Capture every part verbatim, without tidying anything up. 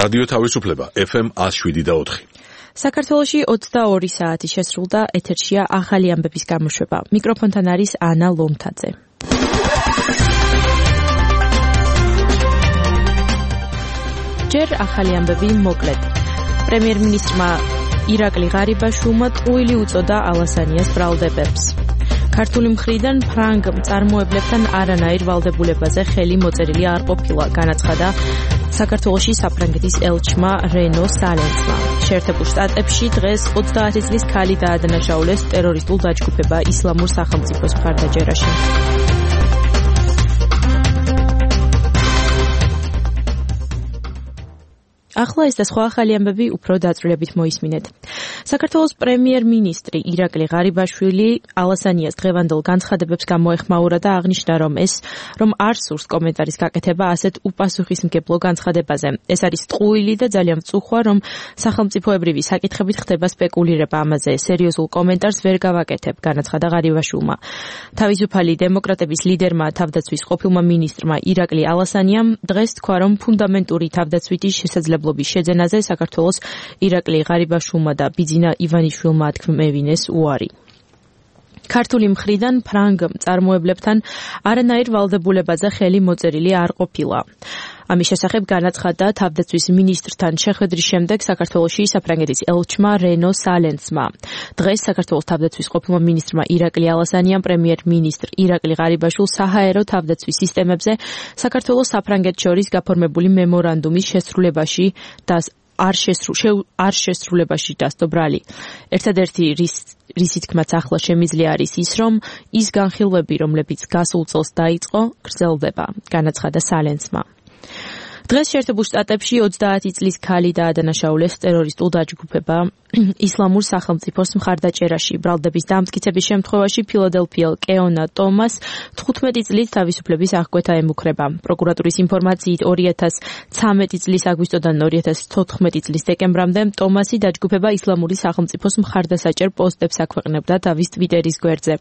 რადიო თავისუფლება ეფ ემ ათს შვიდი და ოთხი. საქართველოში ოცდაორი საათი შესრულდა, ეთერშია ახალი ამბების გამოშვება. მიკროფონთან არის ანა ლომთაძე. ჯერ ახალი ამბები მოკლედ. პრემიერ-მინისტრმა ირაკლი ღარიბაშვილმა ტყუილი უწოდა ალასანიას ბრალდებებს. ქართული მხრიდან ფრანგ მწარმოებლებთან არანაირ ვალდებულებაზე ხელი მოწერილი არ ყოფილა, განაცხადა საქართველოში საფრანგეთის ელჩმა რენო სალენცმა. შეერთებულ შტატებში დღეს ოცდაათი წლის ქალი დაადანაშაულეს ტერორისტულ დაჯგუფება ისლამურ სახელმწიფოს მხარდაჭერაში. ახლა ეს და სხვა ახალი ამბები უფრო დაწვრილებით მოისმინეთ. საქართველოს პრემიერ-მინისტრი ირაკლი ღარიბაშვილი ალასანიას დღევანდელ განცხადებებს გამოეხმაურა და აღნიშნა, რომ ეს რომ არ სურს კომენტარის გაკეთება ასეთ უპასუხისმგებლო განცხადებაზე. ეს არის ტყუილი და ძალიან მწუხვა, რომ სახელმწიფოებრივი საკითხებით ხდება სპეკულირება ამაზე. სერიოზულ კომენტარს ვერ გავაკეთებ, განაცხადა ღარიბაშვილმა. თავისუფალი დემოკრატების ლიდერმა თავდაცვის ყოფილმა მინისტრმა ირაკლი ალასანიამ დღეს თქვა, რომ ფუნდამენტური თავდაცვითი შესაძლებლობის შეძენაზე საქართველოს ირაკლი ღარიბაშვილმა და ბიძინა ივანიშვილმა ათქმევინეს უარი. ქართული მხრიდან ფრანგ მწარმოებლებთან არანაირ ვალდებულებაზე ხელი მოწერილი არ ყოფილა. ამის შესახებ განაცხადა თავდაცვის მინისტრთან შეხვედრის შემდეგ საქართველოში საფრანგეთის ელჩმა რენო სალენცმა. დღეს საქართველოს თავდაცვის ყოფილმა მინისტრმა ირაკლი ალასანიამ პრემიერ-მინისტრ ირაკლი ღარიბაშვილს საჰაერო თავდაცვის სისტემებზე საქართველოს საფრანგეთს შორის გაფორმებული მემორანდუმის შესრულებაში და არ შესრულებაში დასდო ბრალი. ერთადერთი რის რისი თქმაც ახლა შემიძლია არის ის, რომ ის განხილვები, რომლებიც გასულ წელს დაიწყო, გრძელდება, განაცხადა სალენცმა. დღეს შეერთებულ შტატებში ოცდაათი წლის ქალი დაადანაშაულეს ტერორისტულ დაჯგუფება ისლამურ სახელმწიფოს მხარდაჭერაში. ბრალდების დამტკიცების შემთხვევაში ფილადელფიელ კეონა ტომას თხუთმეტი წლის თავისუფლების აღკვეთა ემუქრება. პროკურატურის ინფორმაციით ორი ათას ცხრამეტი წლის აგვისტოდან ორი ათას თოთხმეტი წლის დეკემბრამდე ტომასი დაჯგუფება ისლამური სახელმწიფოს მხარდასაჭერ პოსტებს აქვეყნებდა თავის ტვიტერის გვერდზე.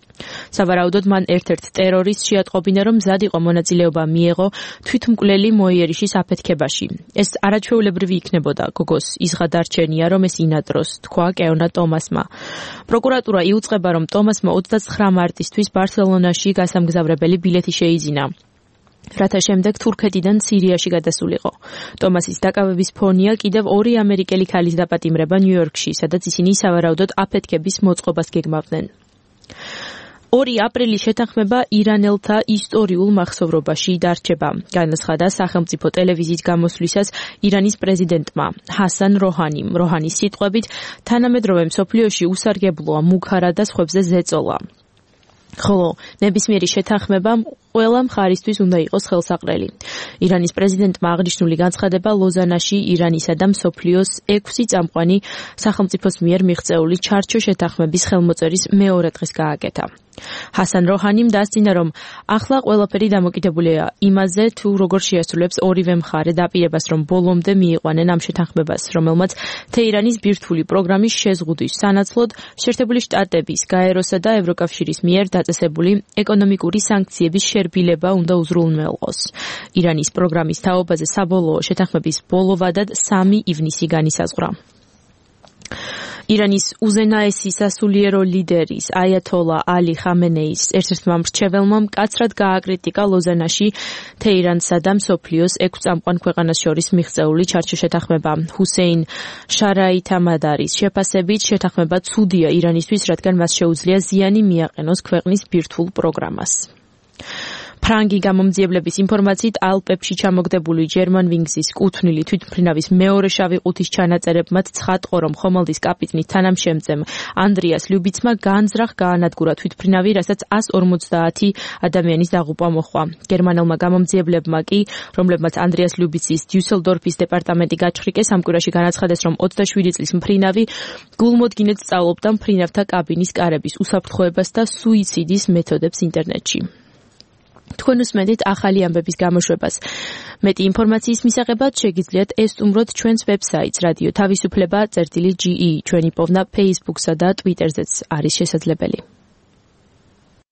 სავარაუდოდ მან ერთ-ერთ ტერორისტს შეატყობინა, რომ მზად იყო მონაწილეობა მიეღო თვითმკვლელი მოიერიშის აფეთქებაში. ეს არაჩვეულებრივი იქნებოდა, გოგოს იზღადარჩენია, რომ ეს ინადროს, თქვა კეონა ტომასმა. პროკურატურა იუწყება, რომ ტომასმა ოცდაცხრა მარტისთვის ბარსელონაში გასამგზავრებელი ბილეთი შეიძინა, რათა შემდეგ თურქეთიდან სირიაში გადასულიყო. ტომასის დაკავების ფონია კიდევ ორი ამერიკელი ქალის დაპატიმრება ნიუ-იორკში, სადაც ისინი სავარაუდოდ აფეთქების მოწყობას გეგმავდნენ. ორი აპრილის შეთანხმება ირანელთა ისტორიულ მახსოვრობაში დარჩება, განაცხადა სახელმწიფო ტელევიზიის გამოსვლისას ირანის პრეზიდენტმა ჰასან როჰანიმ. როჰანის სიტყვებით, თანამედროვე მსოფლიოში უსარგებლოა მუქარა და სხვებზე ზეწოლა. ხოლო ნებისმიერი შეთანხმება ყველა მხარისთვის უნდა იყოს ხელსაყრელი. ირანის პრეზიდენტმა აღნიშნული განცხადება ლოზანაში ირანისა და მსოფლიოს ექვსი წამყვანი სახელმწიფოს მიერ მიღწეული ჩარჩო შეთანხმების ხელმოწერის მეორე დღეს გააკეთა. ჰასან როჰანიმ დასძინა, რომ ახლა ყველაფერი დამოკიდებულია იმაზე, თუ როგორ შეასრულებს ორივე მხარე დაპირებას, რომ ბოლომდე მიიყვანენ ამ შეთანხმებას, რომელმაც თეირანის ბირთვული პროგრამის შეზღუდვის სანაცვლოდ შეერთებული შტატების, გაეროსა და ევროკავშირის მიერ დაწესებული ეკონომიკური სანქციების შერბილება უნდა უზრუნველყოს. ირანის პროგრამის თაობაზე საბოლოო შეთანხმების ბოლო ვადად სამი ივნისი განისაზღვრა. ირანის უზენაესი სასულიერო ლიდერის აიათოლა ალი ხამენეის ერთ-ერთმა მრჩეველმა მკაცრად გააკრიტიკა ლოზანაში თეირანსა და მსოფლიოს ექვს წამყვან ქვეყანას შორის მიღწეული ჩარჩო შეთანხმება. ჰუსეინ შარაითამადარის შეფასებით შეთანხმება ცუდია ირანისთვის, რადგან მას შეუძლია ზიანი მიაყენოს ქვეყნის ბირთვულ პროგრამას. ფრანგი გამომძიებლების ინფორმაციით ალპებში ჩამოგდებული ჯერმანვინგზის კუთვნილი თვითმფრინავის მეორე შავი ყუთის ჩანაწერებმაც ცხადყო, რომ ხომალდის კაპიტნის თანამშემწემ ანდრიას ლიუბიცმა განზრახ გაანადგურა თვითმფრინავი, რასაც ასი ორმოცდაათი ადამიანის დაღუპვა მოჰყვა. გერმანელმა გამომძიებლებმა კი, რომლებმაც ანდრიას ლიუბიცის დიუსელდორფის დეპარტამენტი გაჩხრიკეს, ამ კვირაში განაცხადეს, რომ ოცდაშვიდი წლის მფრინავი გულმოდგინედ სწავლობდა მფრინავთა კაბინის კარების უსაფრთხოებას და სუიციდის მეთოდებს ინტერნეტში. თქვენ უსმენთ ახალი ამბების გამოშვებას. მეტი ინფორმაციის მისაღებად შეგიძლიათ ესტუმროთ ჩვენს ვებსაიტს რადიო თავისუფლება წერტილი ჯი ი. ჩვენი პოვნა Facebook-სა და Twitter-ზეც არის შესაძლებელი.